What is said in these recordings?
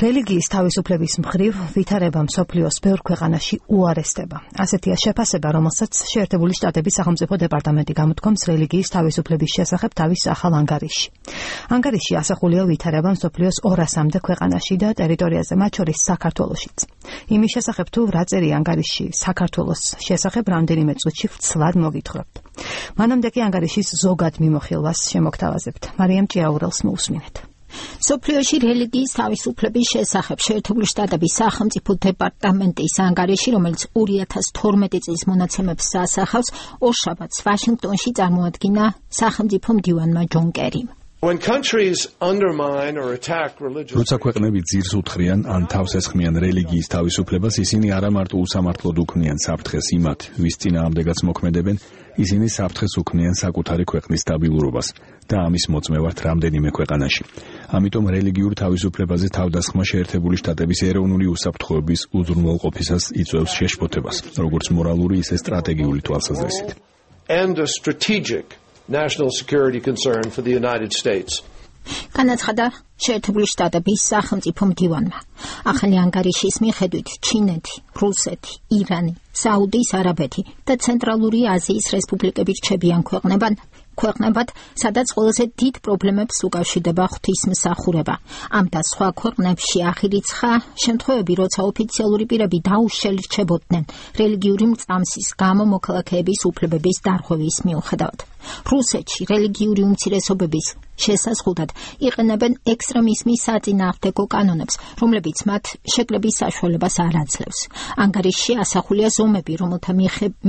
რელიგიის თავისუფლების მხრივ ვითარება მსოფლიოს ბევრ ქვეყანაში უარესდება. ასეთია შეფასება, რომელსაც შეერთებული შტატების სახელმწიფო დეპარტამენტი გამოთქვამს რელიგიის თავისუფლების შესახებ თავის ახალ ანგარიშში. ანგარიშში ასახულია ვითარება მსოფლიოს 200-მდე ქვეყანაში და ტერიტორიაზე, მათ შორის საქართველოშიც. იმის შესახებ თუ რა წერია ანგარიშში საქართველოს შესახებ რამდენიმე წუთში ვცლად მოგითხრობთ. მანამდე კი ანგარიშის ზოგად მიმოხილვას შემოგთავაზებთ. მარიამ ჭიაურელს მოусმინეთ. მსოფლიოში რელიგიის თავისუფლების შესახებ შეერთებული შტატების სახელმწიფო დეპარტამენტის ანგარიში, რომელიც 2012 წლის მონაცემებს ასახავს, ორშაბათს ვაშინგტონში წარმოადგინა სახელმწიფო მდივანმა ჯონ კერიმ. როცა ქვეყნები ძირს უთხრიან ან თავს ესხმიან რელიგიის თავისუფლებას, ისინი არა მარტო უსამართლოდ უქმნიან საფრთხეს იმათ, ვის წინააღმდეგაც მოქმედებენ, ისინი საფრთხეს უქმნიან საკუთარი ქვეყნის სტაბილურობას და ამის მოწმევართ რამდენიმე ქვეყანაში. ამიტომ რელიგიურ თავისუფლებაზე თავდასხმა შეერთებული შტატების ეროვნული უსაფრთხოების უზრუნველყოფისას იწვევს შეშფოთებას, როგორც მორალური, ისე სტრატეგიული თვალსაზრისით. National security concern for the United States. განაცხადა შეერთებული შტატების სახელმწიფო მდივანმა. ახალი ანგარიშის მიხედვით ჩინეთი, რუსეთი, ირანი, საუდის არაბეთი და ცენტრალური აზიის რესპუბლიკები რჩებიან ქვეყნებად, სადაც ყველაზე დიდ პრობლემებს უკავშირდება ღვთისმსახურება. ამ და სხვა ქვეყნებში აღირიცხა შემთხვევები, როცა ოფიციალური პირები დაუშლელი რჩებოდნენ რელიგიური მწამსის გამო მოქალაქეების უფლებების დარღვევის მიუხედავად. რუსეთში რელიგიური უმცირესობების შესაზღვრად იყენებენ ექსტრემიზმის საწინააღმდეგო კანონებს, რომლებიც მათ შეკრების საშუალებას არ აძლევს. ანგარიშში ასახულია ზომები, რომელთა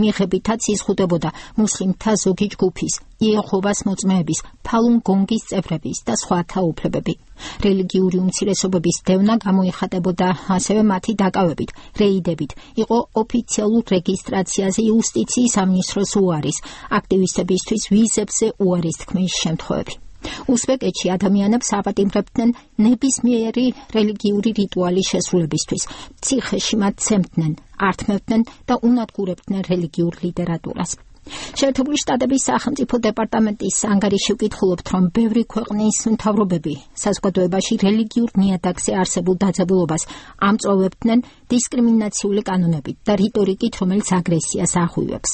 მიღებითაც იზღუდებოდა მუსლიმთა ზოგი ჯგუფის, იეჰოვას მოწმეების, ფალუნ გონგის წევრების და სხვათა უფლებები. რელიგიური უმცირესობების დევნა გამოიხატებოდა ასევე მათი დაკავებით, რეიდებით, იყო ოფიციალურ რეგისტრაციაზე იუსტიციის სამინისტროს უარის, აქტივისტებისთვის ვიზებზე უარის თქმის შემთხვევები. უზბეკეთში ადამიანებს აპატიმრებდნენ ნებისმიერი რელიგიური რიტუალის შესრულებისთვის, ციხეში მათ ცემდნენ, ართმევდნენ და უნადგურებდნენ რელიგიურ ლიტერატურას. შეერთებული შტატების სახელმწიფო დეპარტამენტის ანგარიში ვკითხულობთ, რომ ბევრი ქვეყნის მთავრობები საზოგადოებაში რელიგიურ ნიადაგზე არსებულ დაძაბულობას ამწვავებდნენ დისკრიმინაციული კანონებით და რიტორიკით, რომელიც აგრესიას აღვივებს.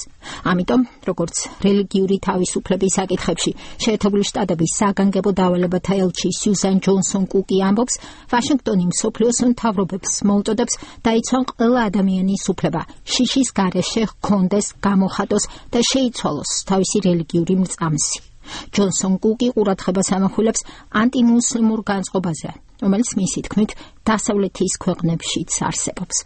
ამიტომ, როგორც რელიგიური თავისუფლების საკითხებში შეერთებული შტატების საგანგებო დავალებათა ელჩი სიუზან ჯონსონ კუკი ამბობს, ვაშინგტონი მსოფლიოს მთავრობებს მოუწოდებს დაიცვან ყველა ადამიანის უფლება, შიშის გარეშე ჰქონდეს, გამოხატოს და შეიცვალოს თავისი რელიგიური მრწამსი. ჯონსონ კუკი ყურადღებას ამახვილებს ანტიმუსლიმურ განწყობაზე, რომელიც მისი თქმით დასავლეთის ქვეყნებშიც არსებობს.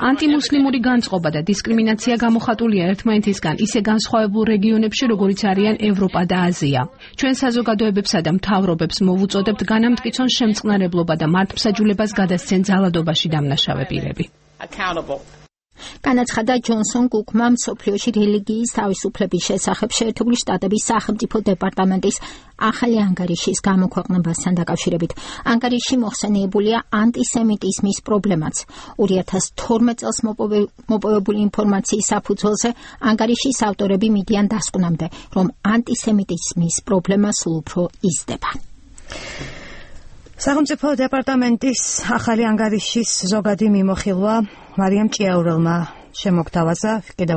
ანტიმუსლიმური განწყობა და დისკრიმინაცია გამოხატულია ერთმანეთისგან ისე განსხვავებულ რეგიონებში, როგორიც არიან ევროპა და აზია. ჩვენ საზოგადოებებსა და მთავრობებს მოვუწოდებთ განამტკიცონ შემწყნარებლობა და მართლმსაჯულებას გადასცენ ძალადობაში დამნაშავე პირები. განაცხადა ჯონსონ კუკმა მსოფლიოში რელიგიის თავისუფლების შესახებ შეერთებული შტატების სახელმწიფო დეპარტამენტის ახალი ანგარიშის გამოქვეყნებასთან დაკავშირებით. ანგარიში მოხსენიებულია ანტისემიტიზმის პრობლემაც. 2012 წელს მოპოვებული ინფორმაციის საფუძველზე ანგარიშის ავტორები მიდიან დასკვნამდე, რომ ანტისემიტიზმის პრობლემა სულ უფრო იზრდება. სახელმწიფო დეპარტამენტის ახალი ანგარიშის ზოგადი მიმოხილვა მარიამ ჭიაურელმა შემოგთავაზა. კიდევ